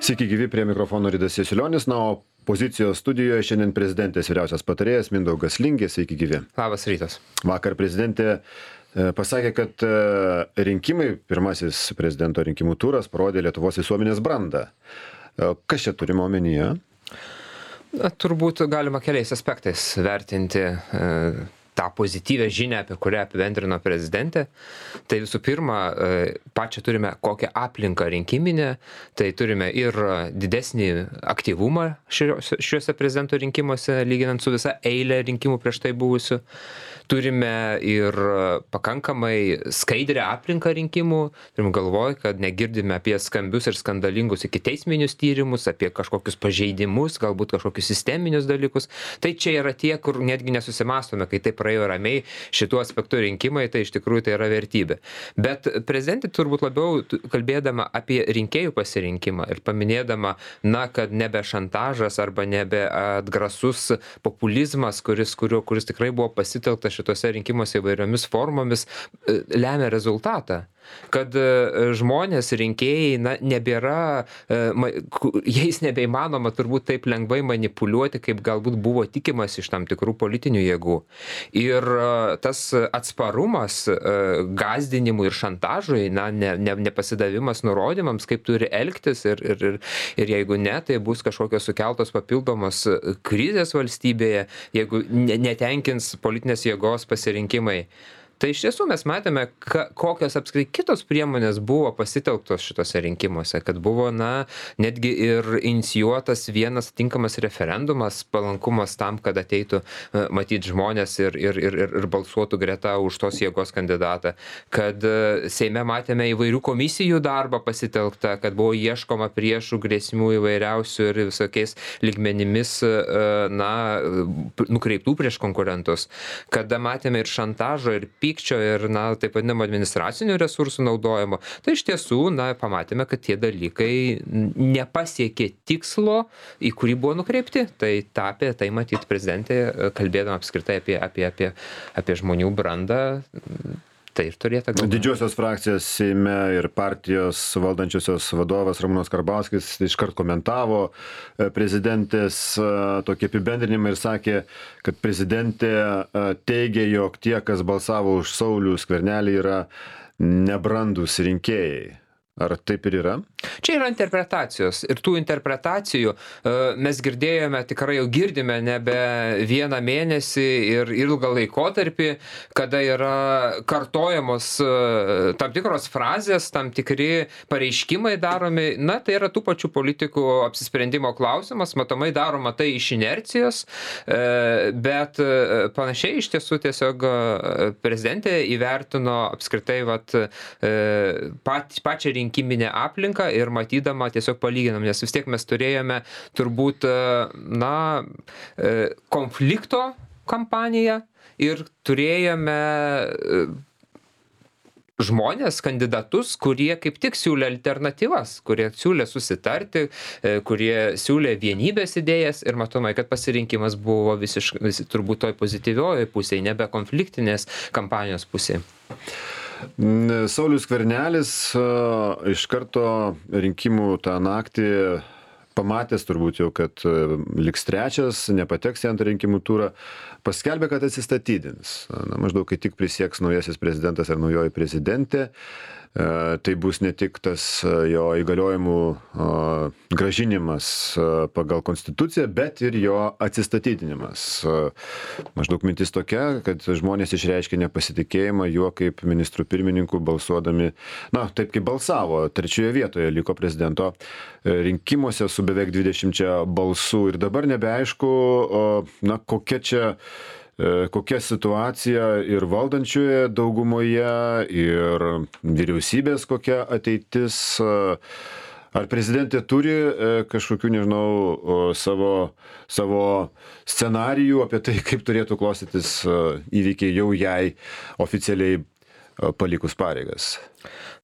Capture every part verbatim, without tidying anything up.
Sveiki gyvi, prie mikrofono Ridas Jasiulionis, na, o pozicijos studijoje šiandien prezidentės vyriausias patarėjas Mindaugas Lingė. Sveiki gyvi. Labas rytas. Vakar prezidentė pasakė, kad rinkimai, pirmasis prezidento rinkimų turas parodė Lietuvos visuomenės brandą. Kas čia turime omenyje? Na, turbūt galima keliais aspektais vertinti e, tą pozityvę žinią, apie kurią apibendrino prezidentė. Tai visų pirma, e, pačią turime kokią aplinką rinkiminę, tai turime ir didesnį aktyvumą šiuose, šiuose prezidento rinkimuose, lyginant su visa eilė rinkimų prieš tai buvusių. Turime ir pakankamai skaidrę aplinką rinkimų. Turim galvoj, kad negirdime apie skambius ir skandalingus ikiteisminius tyrimus, apie kažkokius pažeidimus, galbūt kažkokius sisteminius dalykus. Tai čia yra tie, kur netgi nesusimastome, kai tai praėjo ramiai šituo aspektu rinkimai, tai iš tikrųjų tai yra vertybė. Bet prezidentė turbūt labiau kalbėdama apie rinkėjų pasirinkimą ir paminėdama, na, kad nebe šantažas arba nebe atgrasus populizmas, kuris, kurio, kuris tikrai buvo pasitelktas šitose rinkimuose įvairiomis formomis, lemia rezultatą. Kad žmonės, rinkėjai, na, nebėra, jais nebeįmanoma turbūt taip lengvai manipuliuoti, kaip galbūt buvo tikimas iš tam tikrų politinių jėgų. Ir tas atsparumas gąsdinimui ir šantažui, na, ne, ne, nepasidavimas nurodymams, kaip turi elgtis ir, ir, ir, ir jeigu ne, tai bus kažkokios sukeltos papildomos krizės valstybėje, jeigu netenkins politinės jėgos pasirinkimai. Tai iš tiesų mes matėme, ka, kokios apskritai kitos priemonės buvo pasitelktos šitose rinkimuose, kad buvo, na, netgi ir inicijuotas vienas tinkamas referendumas, palankumas tam, kad ateitų matyti žmonės ir, ir, ir, ir balsuotų greta už tos jėgos kandidatą, kad Seime matėme įvairių komisijų darbą pasitelktą, kad buvo ieškoma priešų, grėsmių įvairiausių ir visokiais lygmenimis, na, nukreiptų prieš konkurentus, kada matėme ir šantažo, ir pykčio ir, na, taip vadinamo administracinių resursų naudojimo, tai iš tiesų, na, pamatėme, kad tie dalykai nepasiekė tikslo, į kurį buvo nukreipti. Tai tapė, tai matyti prezidentė, kalbėdama apskritai apie, apie, apie, apie žmonių brandą, tai ir turėtų galvoti. Didžiosios frakcijos Seime ir partijos valdančiosios vadovas Ramūnas Karbauskis iškart komentavo prezidentės tokį apibendrinimą ir sakė, kad prezidentė teigia, jog tie, kas balsavo už Saulių Skvernelį, yra nebrandūs rinkėjai. Ar taip ir yra? Čia yra interpretacijos. Ir tų interpretacijų mes girdėjome, tikrai jau girdime nebe vieną mėnesį ir ilgą laikotarpį, kada yra kartojamos tam tikros frazės, tam tikri pareiškimai daromi. Na, tai yra tų pačių politikų apsisprendimo klausimas, matomai daroma tai iš inercijos, bet panašiai iš tiesų tiesiog prezidentė įvertino apskritai vat, pat, pačią rinkiminę rinkiminę aplinką ir matydama tiesiog palyginam, nes vis tiek mes turėjome turbūt, na, konflikto kampaniją ir turėjome žmonės, kandidatus, kurie kaip tik siūlė alternatyvas, kurie siūlė susitarti, kurie siūlė vienybės idėjas ir matomai, kad pasirinkimas buvo visiškai, visi, turbūt toj pozityvioje pusėje, nebe konfliktinės kampanijos pusėje. Saulius Skvernelis iš karto rinkimų tą naktį pamatęs turbūt jau, kad liks trečias, nepateks į antrą rinkimų turą, paskelbė, kad atsistatydins. Na, maždaug, kai tik prisieks naujasis prezidentas ar naujoji prezidentė, tai bus ne tik tas jo įgaliojimų grąžinimas pagal konstituciją, bet ir jo atsistatydinimas. Maždaug mintis tokia, kad žmonės išreiškė nepasitikėjimą juo kaip ministrų pirmininkų balsuodami, na, taip kaip balsavo, trečioje vietoje liko prezidento rinkimuose su beveik dvidešimčia balsų ir dabar nebeaišku, na, kokia čia kokia situacija ir valdančioje daugumoje, ir vyriausybės kokia ateitis. Ar prezidentė turi kažkokių, nežinau, savo, savo scenarijų apie tai, kaip turėtų klostytis įvykiai jau jai oficialiai palikus pareigas?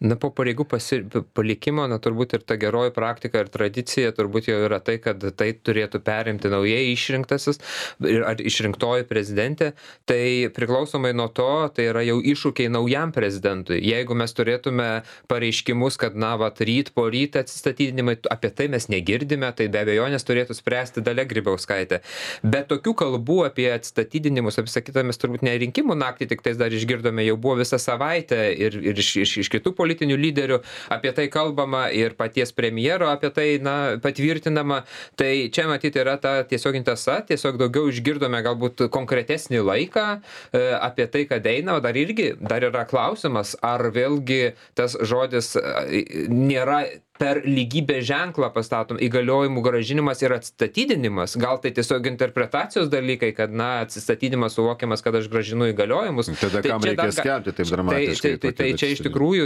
Na, po pareigų pasi, palikimo, na, turbūt ir ta geroji praktika ir tradicija turbūt jau yra tai, kad tai turėtų perimti naujai išrinktasis ir ar išrinktoji prezidentė. Tai priklausomai nuo to, tai yra jau iššūkiai naujam prezidentui. Jeigu mes turėtume pareiškimus, kad, na, vat, ryt po rytą atsistatydinimai, apie tai mes negirdime, tai be abejonės turėtų spręsti Dalia Grybauskaitė. Bet tokių kalbų apie atsistatydinimus, apie sakytą, mes turbūt ne rinkimų naktį, tik tais dar išgirdome, jau buvo visą savaitę ir, ir iš, iš, iš kitų politinių lyderių apie tai kalbama ir paties premjero apie tai, na, patvirtinama. Tai čia matyti yra ta tiesioginė tiesa, tiesiog daugiau išgirdome galbūt konkretesnį laiką e, apie tai, kad eina, o dar irgi, dar yra klausimas, ar vėlgi tas žodis e, nėra per lygybės ženklą pastatom įgaliojimų grąžinimas ir atstatydinimas. Gal tai tiesiog interpretacijos dalykai, kad, na, atsistatydinimas suvokiamas, kad aš grąžinu įgaliojimus. Tada tai kam reikia dar, skelbti taip dramatiškai? Tai, tai, tai, tai čia iš tikrųjų,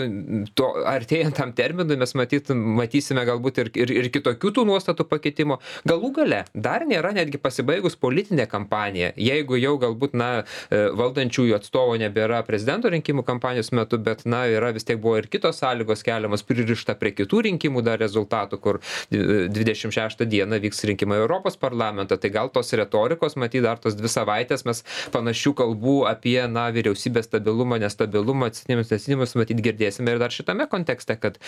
to, artėjant tam terminui, mes matyt, matysime galbūt ir, ir, ir kitokių tų nuostatų pakeitimo. Galų gale, dar nėra netgi pasibaigus politinė kampanija. Jeigu jau galbūt, na, valdančiųjų atstovo nebėra prezidento rinkimų kampanijos metu, bet, na, yra vis tiek buvo ir kitos sąlygos keliamas, pririšta prie kitų rinkimų rinkimų dar rezultatų, kur dvidešimt šeštą dieną vyks rinkimai Europos parlamentą. Tai gal tos retorikos, matyt, dar tos dvi savaitės mes panašių kalbų apie, na, vyriausybės stabilumą, nestabilumą, atsitinimus, nesinimus, matyt, girdėsime ir dar šitame kontekste, kad,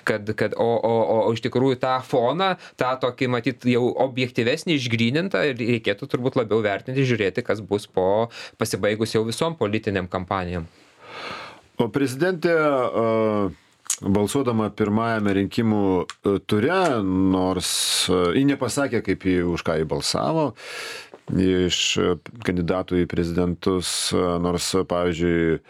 kad, kad o, o, o, o iš tikrųjų tą foną, tą tokį, matyt, jau objektyvesnį, išgrynintą ir reikėtų turbūt labiau vertinti, žiūrėti, kas bus po pasibaigus jau visom politiniam kampanijom. O prezidentė uh... balsuodama pirmajame rinkimų ture, nors ji nepasakė, kaip ji, už ką ji balsavo, iš kandidatų į prezidentus, nors, pavyzdžiui,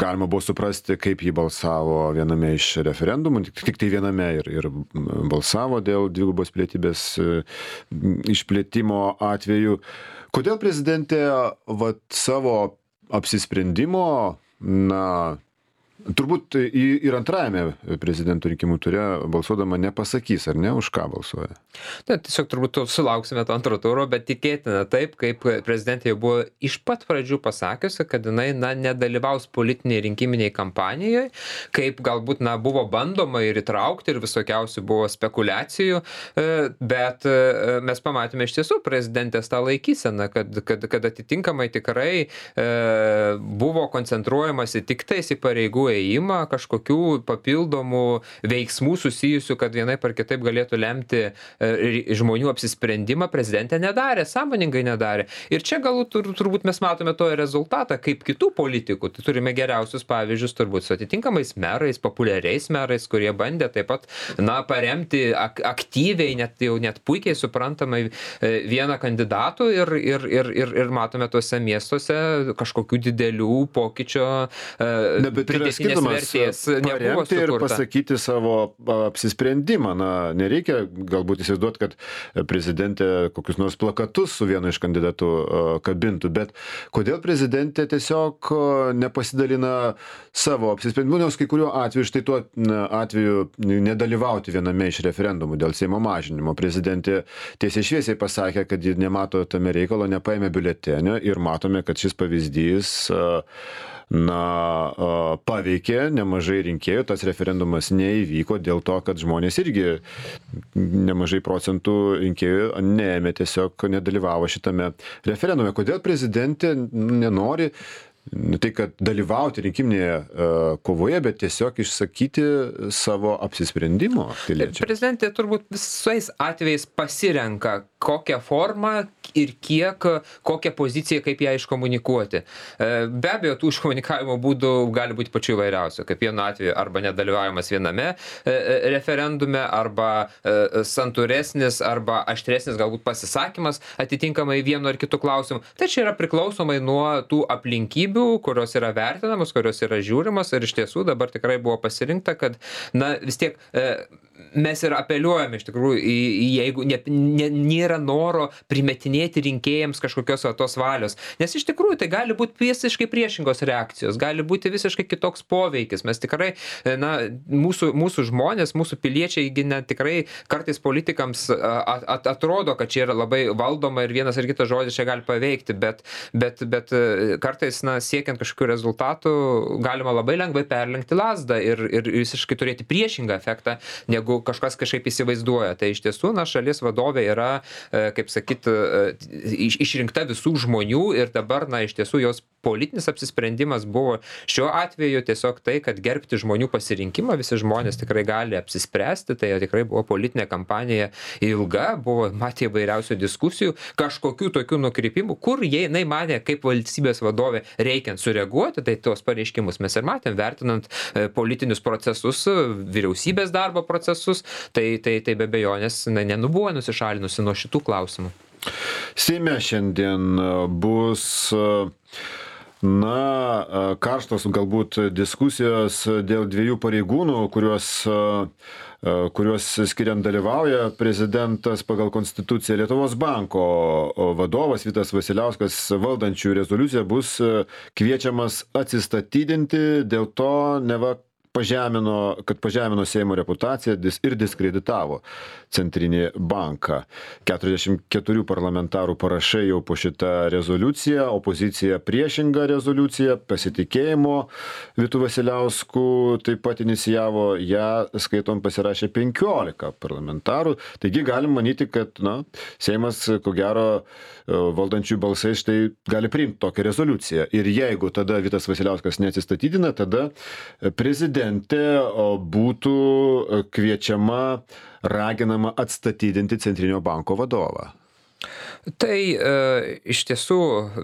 galima buvo suprasti, kaip ji balsavo viename iš referendumų, tik, tik tai viename ir, ir balsavo dėl dvigubos pilietybės išplėtimo atveju. Kodėl prezidentė vat, savo apsisprendimo, na, turbūt ir antrajame prezidento rinkimų ture balsuodama nepasakys, ar ne, už ką balsuoja? Na, tiesiog turbūt sulauksime to antro turo, bet tikėtina taip, kaip prezidentė jau buvo iš pat pradžių pasakiusi, kad jinai, na, nedalyvaus politiniai rinkiminiai kampanijoje, kaip galbūt, na, buvo bandoma ir įtraukti ir visokiausių buvo spekulacijų, bet mes pamatėme iš tiesų prezidentės tą laikyseną, kad, kad, kad atitinkamai tikrai e, buvo koncentruojamasi tik tais į pareigų ėjimą, kažkokių papildomų veiksmų susijusių, kad vienaip ar kitaip galėtų lemti žmonių apsisprendimą, prezidentė nedarė, sąmoningai nedarė. Ir čia galbūt tur, turbūt mes matome to rezultatą, kaip kitų politikų. Tai turime geriausius pavyzdžius turbūt su atitinkamais merais, populiariais merais, kurie bandė taip pat, na, paremti ak aktyviai, net jau net puikiai suprantamai vieną kandidatų ir, ir, ir, ir, ir matome tuose miestuose kažkokių didelių pokyčio ne, pridėtinės vertės nebuvo sukurta. Ir pasakyti savo apsisprendimą. Na, nereikia galbūt įsivaizduoti, kad prezidentė kokius nors plakatus su vienu iš kandidatų kabintų, bet kodėl prezidentė tiesiog nepasidalina savo apsisprendimu, nes kai kuriuo atveju, štai tuo atveju nedalyvauti viename iš referendumų dėl Seimo mažinimo. Prezidentė tiesiai šviesiai pasakė, kad ji nemato tame reikalo, nepaėmė biuletenio ir matome, kad šis pavyzdys na, paveikė nemažai rinkėjų, tas referendumas neįvyko dėl to, kad žmonės irgi nemažai procentų rinkėjų neėmė, tiesiog nedalyvavo šitame referendume. Kodėl prezidentė nenori ne tai, kad dalyvauti rinkiminėje uh, kovoje, bet tiesiog išsakyti savo apsisprendimo piliečiams? Prezidentė turbūt visais atvejais pasirenka, kokią formą ir kiek, kokią poziciją, kaip ją iškomunikuoti. Uh, be abejo, tų iškomunikavimo būdų gali būti pačių įvairiausių. Kaip vienu atveju arba nedalyvavimas viename uh, referendume, arba uh, santūresnis, arba aštresnis galbūt pasisakymas atitinkamai vienu ar kitu klausimu. Tai čia yra priklausomai nuo tų aplinkybių, kurios yra vertinamos, kurios yra žiūrimos ir iš tiesų dabar tikrai buvo pasirinkta, kad, na, vis tiek e, mes ir apeliuojame iš tikrųjų į, į jeigu ne, ne, nėra noro primetinėti rinkėjams kažkokios va, tos valios. Nes iš tikrųjų tai gali būti visiškai priešingos reakcijos, gali būti visiškai kitoks poveikis. Mes tikrai, na, mūsų, mūsų žmonės, mūsų piliečiai, ne, tikrai kartais politikams at, at, atrodo, kad čia yra labai valdoma ir vienas ar kitas žodis čia gali paveikti, bet, bet, bet kartais, na, siekiant kažkokių rezultatų, galima labai lengvai perlenkti lazdą ir, ir visiškai turėti priešingą efektą, negu kažkas kažkaip įsivaizduoja. Tai iš tiesų, na, šalies vadovė yra, kaip sakyt, iš, išrinkta visų žmonių ir dabar, na, iš tiesų jos politinis apsisprendimas buvo šiuo atveju tiesiog tai, kad gerbti žmonių pasirinkimą, visi žmonės tikrai gali apsispręsti, tai tikrai buvo politinė kampanija ilga, buvo matė įvairiausių diskusijų, kažkokių tokių nukrypimų, kur jie, jinai manė, kaip valstybės vadovė reikiant sureaguoti, tai tuos pareiškimus mes ir matėm, vertinant politinius procesus, vyriausybės darbo procesus, tai, tai, tai be abejonės nenubuvo nusišalinusi nuo šitų klausimų. Seime šiandien bus na, karštos galbūt diskusijos dėl dviejų pareigūnų, kuriuos, kuriuos skiriant dalyvauja prezidentas pagal konstituciją. Lietuvos banko vadovas Vitas Vasiliauskas valdančių rezoliuciją bus kviečiamas atsistatydinti, dėl to neva pažemino, kad pažemino Seimo reputaciją ir diskreditavo Centrinį banką. keturiasdešimt keturių parlamentarų parašai jau po šitą rezoliuciją, opozicija priešingą rezoliuciją, pasitikėjimo Vitu Vasiliausku taip pat inicijavo, ją skaitom pasirašė penkiolika parlamentarų. Taigi galim manyti, kad na, Seimas, ko gero, valdančių balsai štai gali priimti tokią rezoliuciją. Ir jeigu tada Vitas Vasiliauskas neatsistatydina, tada prezidentė būtų kviečiama, raginama atstatydinti Centrinio banko vadovą. Tai e, iš tiesų,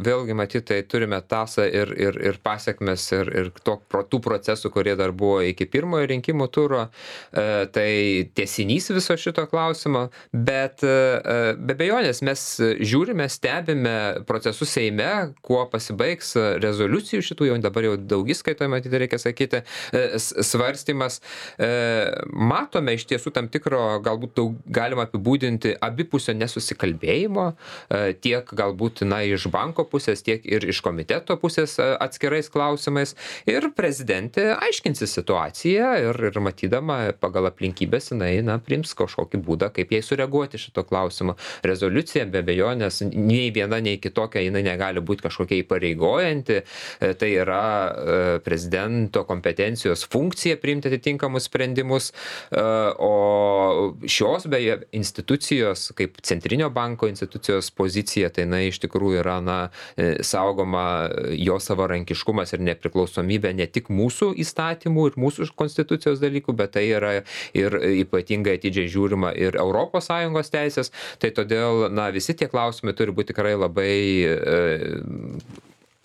vėlgi matyt, tai turime tasą ir, ir, ir pasiekmes ir, ir to, tų procesų, kurie dar buvo iki pirmojo rinkimų turo, e, tai tęsinys viso šito klausimo, bet e, be abejonės mes žiūrime, stebime procesus Seime, kuo pasibaigs rezoliucijų šitų, jau dabar jau daugiskaitoje, matyt, reikia sakyti, e, svarstymas. E, matome iš tiesų tam tikro, galbūt daug, galima apibūdinti abipusio nesusikalbėjimo, tiek galbūt na, iš banko pusės, tiek ir iš komiteto pusės atskirais klausimais. Ir prezidentė aiškinsi situaciją ir, ir matydama pagal aplinkybės, jinai na, priims kažkokį būdą, kaip jai sureaguoti šito klausimo. Rezoliucija be abejonės nei viena, nei kitokia jinai negali būti kažkokia įpareigojanti. Tai yra prezidento kompetencijos funkcija priimti atitinkamus sprendimus. O šios beje institucijos, kaip Centrinio banko institucijos pozicija, tai na, iš tikrųjų yra na, saugoma jo savarankiškumas ir nepriklausomybė ne tik mūsų įstatymų ir mūsų konstitucijos dalykų, bet tai yra ir ypatingai atidžiai žiūrima ir Europos Sąjungos teisės. Tai todėl na, visi tie klausimai turi būti tikrai labai e,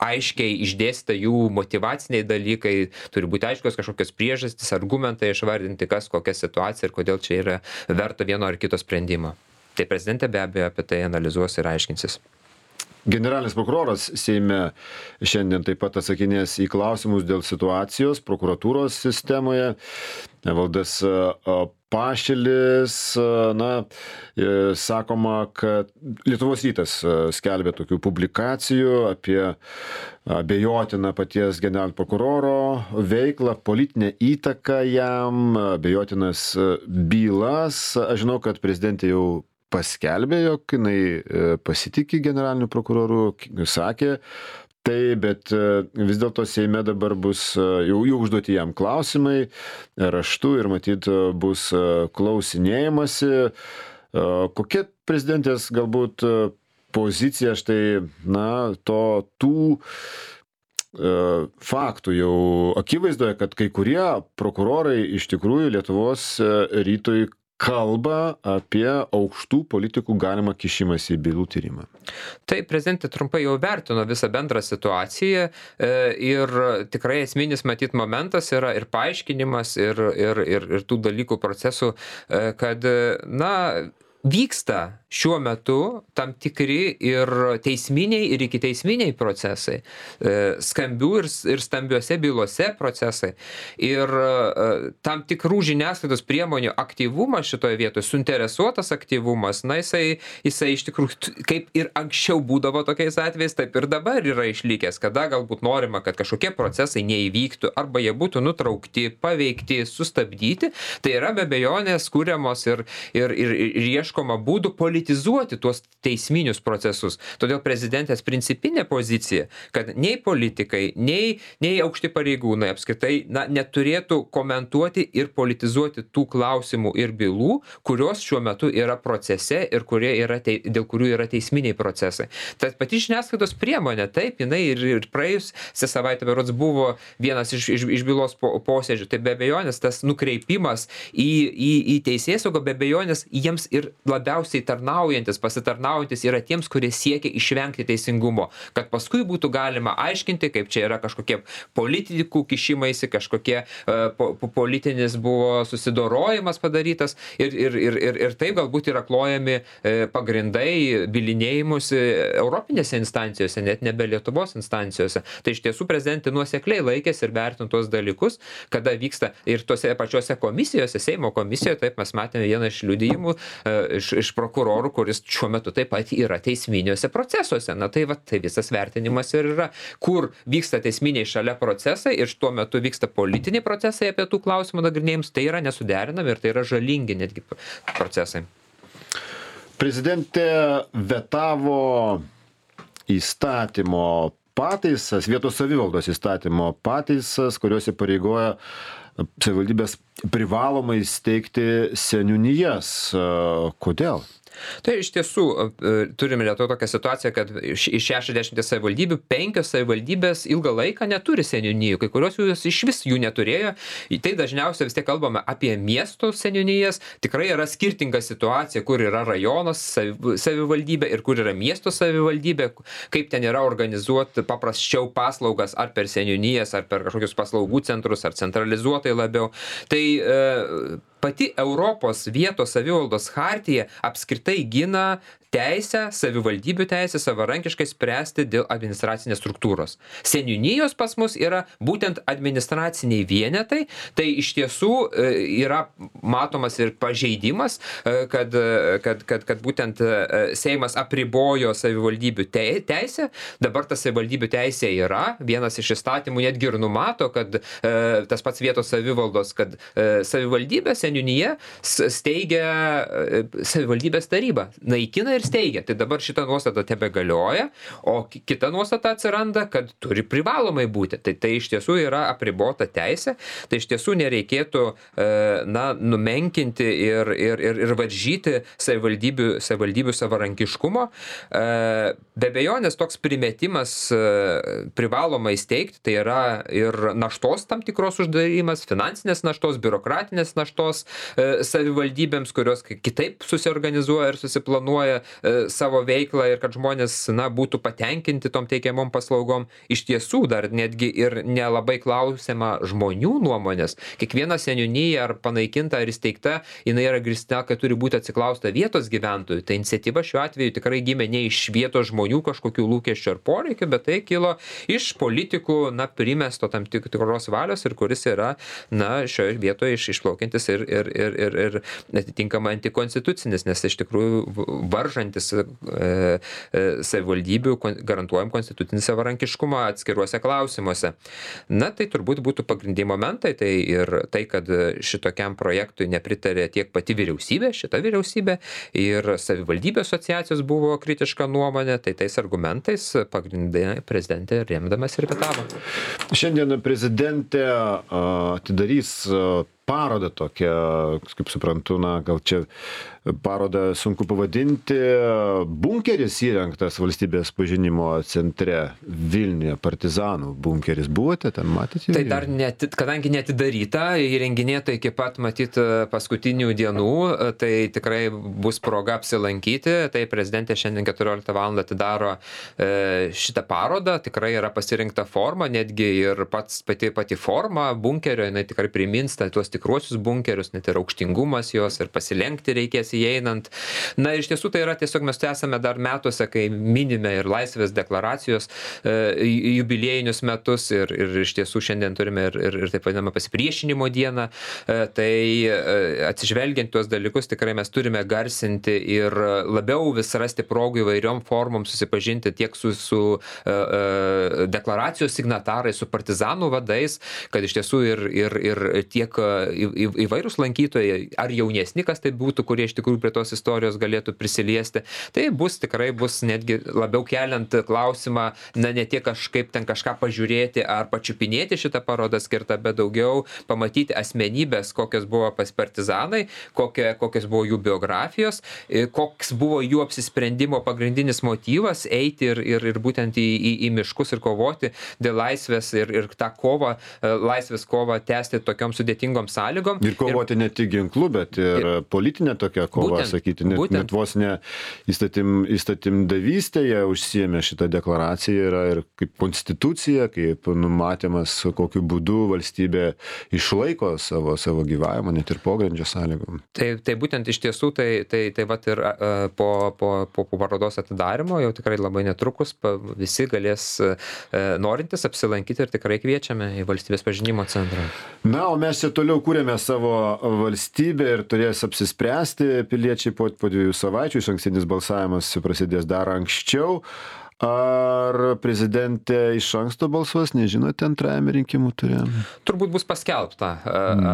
aiškiai išdėstyta jų motyvaciniai dalykai, turi būti aiškios kažkokios priežastys, argumentai išvardinti, kas kokia situacija ir kodėl čia yra verta vieno ar kito sprendimo. Tai prezidentė be abejo apie tai analizuos ir aiškinsis. Generalinis prokuroras Seime šiandien taip pat atsakinės į klausimus dėl situacijos prokuratūros sistemoje. Evaldas Pašilis, na, sakoma, kad Lietuvos rytas skelbė tokių publikacijų apie abejotiną paties generalinio prokuroro veiklą, politinę įtaką jam, abejotinas bylas. Aš žinau, kad prezidentė jau paskelbė, jog jinai pasitikė generaliniu prokuroru, sakė tai, bet vis dėlto Seime dabar bus jau, jau užduoti jam klausimai raštu ir matyt bus klausinėjimasi. Kokia prezidentės galbūt pozicija štai, na, to tų faktų jau akivaizdoje, kad kai kurie prokurorai iš tikrųjų Lietuvos rytui kalba apie aukštų politikų galimą kišimąsi į bylų tyrimą. Tai prezidentė trumpai jau vertino visą bendrą situaciją ir tikrai esminis matyt momentas yra ir paaiškinimas ir, ir, ir, ir tų dalykų procesų, kad na, vyksta šiuo metu tam tikri ir teisminiai, ir ikiteisminiai procesai, skambių ir, ir stambiuose bylose procesai. Ir tam tikrų žiniasklaidos priemonių aktyvumas šitoje vietoje, suinteresuotas aktyvumas, na jisai, jisai iš tikrųjų, kaip ir anksčiau būdavo tokiais atvejais, taip ir dabar yra išlikęs, kada galbūt norima, kad kažkokie procesai neįvyktų, arba jie būtų nutraukti, paveikti, sustabdyti, tai yra be abejonės kūriamos ir, ir, ir, ir ieškoma būdų politizuoti tuos teisminius procesus. Todėl prezidentės principinė pozicija, kad nei politikai, nei, nei aukšti pareigūnai apskritai na, neturėtų komentuoti ir politizuoti tų klausimų ir bylų, kurios šiuo metu yra procese ir kurie yra te, dėl kurių yra teisminiai procesai. Tad pati žiniasklaidos priemonė, taip, jinai ir, ir praėjusią savaitę berods buvo vienas iš, iš, iš bylos po, posėdžių, tai be abejonės tas nukreipimas į, į, į teisėsaugą, be abejonės jiems ir labiausiai tarnaujantis, pasitarnaujantis yra tiems, kurie siekia išvengti teisingumo, kad paskui būtų galima aiškinti, kaip čia yra kažkokie politikų kišimaisi, kažkokie uh, po, po, politinis buvo susidorojimas padarytas ir, ir, ir, ir, ir taip galbūt yra klojami uh, pagrindai bilinėjimusi europinėse instancijose, net nebe Lietuvos instancijose. Tai iš tiesų prezidentė nuosekliai laikėsi ir vertino tuos dalykus, kada vyksta ir tose pačiose komisijose, Seimo komisijoje, taip mes matėme vieną iš liudijimų uh, iš, iš prokurorų, kuris šiuo metu taip pat yra teisminiuose procesuose. Na tai va, tai visas vertinimas ir yra, kur vyksta teisminiai šalia procesai ir tuo metu vyksta politiniai procesai apie tų klausimų nagrinėjimus, tai yra nesuderinami ir tai yra žalingi netgi procesai. Prezidentė vetavo įstatymo pataisas, vietos savivaldos įstatymo pataisas, kurios įpareigoja savivaldybės privalomai steigti seniūnijas. Kodėl? Tai iš tiesų turime Lietuvoje tokią situaciją, kad iš šešiasdešimties savivaldybių penkios savivaldybės ilgą laiką neturi seniūnijų, kai kurios jų iš vis jų neturėjo. Tai dažniausiai vis tiek kalbame apie miesto seniūnijas. Tikrai yra skirtinga situacija, kur yra rajonos savivaldybė ir kur yra miesto savivaldybė, kaip ten yra organizuoti paprasčiau paslaugas ar per seniūnijas, ar per kažkokius paslaugų centrus, ar centralizuotai labiau. Tai e, pati Europos vietos savivaldos chartija apskritai gina teisę, savivaldybių teisę savarankiškai spręsti dėl administracinės struktūros. Seniūnijos pas mus yra būtent administraciniai vienetai, tai iš tiesų yra matomas ir pažeidimas, kad, kad, kad, kad būtent Seimas apribojo savivaldybių teisę, dabar ta savivaldybių teisė yra, vienas iš įstatymų netgi ir numato, kad tas pats vietos savivaldos, kad savivaldybė, seniūnija steigia savivaldybės tarybą, naikina ir steigia. Tai dabar šita nuostata tebegalioja, o kita nuostata atsiranda, kad turi privalomai būti. Tai tai iš tiesų yra apribota teisė, tai iš tiesų nereikėtų na, numenkinti ir, ir, ir, ir varžyti savivaldybių, savivaldybių savarankiškumo. Be abejonės toks primetimas privalomai steigti, tai yra ir naštos tam tikros uždarymas, finansinės naštos, biurokratinės naštos savivaldybėms, kurios kitaip susiorganizuoja ir susiplanuoja savo veiklą ir kad žmonės na, būtų patenkinti tom teikiamom paslaugom. Iš tiesų dar netgi ir nelabai klausiama žmonių nuomonės. Kiekviena seniūnija ar panaikinta ar įsteigta, jinai yra grįsta, kad turi būti atsiklausta vietos gyventojų. Tai iniciatyva šiuo atveju tikrai gimė ne iš vietos žmonių kažkokių lūkesčių ar poreikių, bet tai kilo iš politikų na, primesto tam tikros valios ir kuris yra na, šioje vietoje iš, išplaukiantis ir, ir, ir, ir, ir atitinkamai antikonstitucinis, nes iš tikrųjų varžantis e, e, savivaldybių garantuojam konstitucinį savarankiškumą atskiruose klausimuose. Na, tai turbūt būtų pagrindiniai momentai, tai ir tai, kad šitokiam projektui nepritarė tiek pati vyriausybė, šita vyriausybė, ir savivaldybių asociacijos buvo kritiška nuomonė, tai tais argumentais pagrindinė prezidentė remdamas ir vetavo. Šiandien prezidentė atidarys parodą tokią, kaip suprantu, na, gal čia parodą sunku pavadinti, bunkeris įrengtas valstybės pažinimo centre Vilniuje, partizanų bunkeris. Buvote ten, matėte? Tai dar, net, kadangi netidaryta, įrenginėta iki pat, matyt, paskutinių dienų, tai tikrai bus proga apsilankyti. Tai prezidentė šiandien keturioliktą valandą atidaro e, šitą parodą, tikrai yra pasirinkta forma, netgi ir pats pati, pati forma bunkerio, jinai tikrai primins tuos tikruosius bunkerius, net ir aukštingumas jos ir pasilenkti reikės įeinant. Na ir iš tiesų tai yra tiesiog mes esame dar metuose, kai minime ir Laisvės deklaracijos e, jubiliejinius metus ir, ir iš tiesų šiandien turime ir, ir, ir taip vadinamą pasipriešinimo dieną. E, tai e, atsižvelgiant tuos dalykus tikrai mes turime garsinti ir labiau vis rasti progų įvairiom formom susipažinti tiek su, su e, e, deklaracijos signatarais, su partizanų vadais, kad iš tiesų ir, ir, ir tiek į, į, įvairūs lankytojai, ar jaunesni, kas tai būtų, kurie iš tikrųjų prie tos istorijos galėtų prisiliesti. Tai bus tikrai bus netgi labiau keliant klausimą, na ne tiek kažkaip ten kažką pažiūrėti ar pačiupinėti šitą parodą skirtą, bet daugiau pamatyti asmenybės, kokios buvo pas partizanai, kokie, kokios buvo jų biografijos, koks buvo jų apsisprendimo pagrindinis motyvas eiti ir, ir, ir būtent į, į, į miškus ir kovoti dėl laisvės ir, ir tą kovą, laisvės kovą tęsti tokiom sudėtingom sąlygom. Ir kovoti ir, ne tik ginklu, bet ir, ir politinė tokia kova, būtent, sakyti, net, būtent. net vos ne įstatym, įstatymdavystėje užsiėmė šitą deklaraciją, yra ir kaip konstitucija, kaip numatymas, kokiu būdu valstybė išlaiko savo, savo gyvavimą, net ir pogrindžio sąlygom. Tai, tai būtent iš tiesų, tai, tai, tai vat ir uh, po, po, po parodos atidarimo jau tikrai labai netrukus pa, visi galės uh, norintis apsilankyti ir tikrai kviečiame į Valstybės pažinimo centrą. Na, o mes čia toliau kūrėme savo valstybę ir turės apsispręsti piliečiai po, po dviejų savaičių, išankstinis balsavimas prasidės dar anksčiau. Ar prezidentė iš anksto balsuos, nežinote, antrajame rinkimų ture? Turbūt bus paskelbta mm.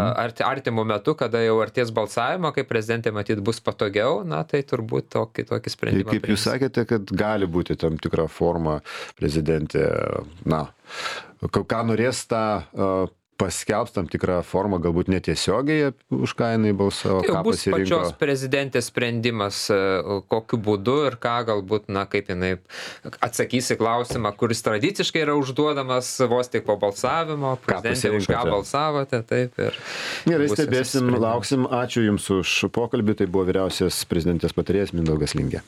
artimu metu, kada jau arties balsavimo, kai prezidentė matyt bus patogiau, na tai turbūt tokį, tokį sprendimą. Tai kaip prims. Jūs sakėte, kad gali būti tam tikra forma prezidentė, na, ką norės tą uh, paskelbs tam tikrą formą, galbūt netiesiogiai, už ką jinai balsavo, tai ką bus pasirinko. Pačios prezidentės sprendimas, kokiu būdu ir ką galbūt, na, kaip jinai atsakys į klausimą, kuris tradiciškai yra užduodamas vos tik po balsavimo, prezidentė, už ką balsavote, taip ir... Gerai, stebėsim, lauksim. Ačiū Jums už pokalbį, tai buvo vyriausias prezidentės patarėjas Mindaugas Lingė.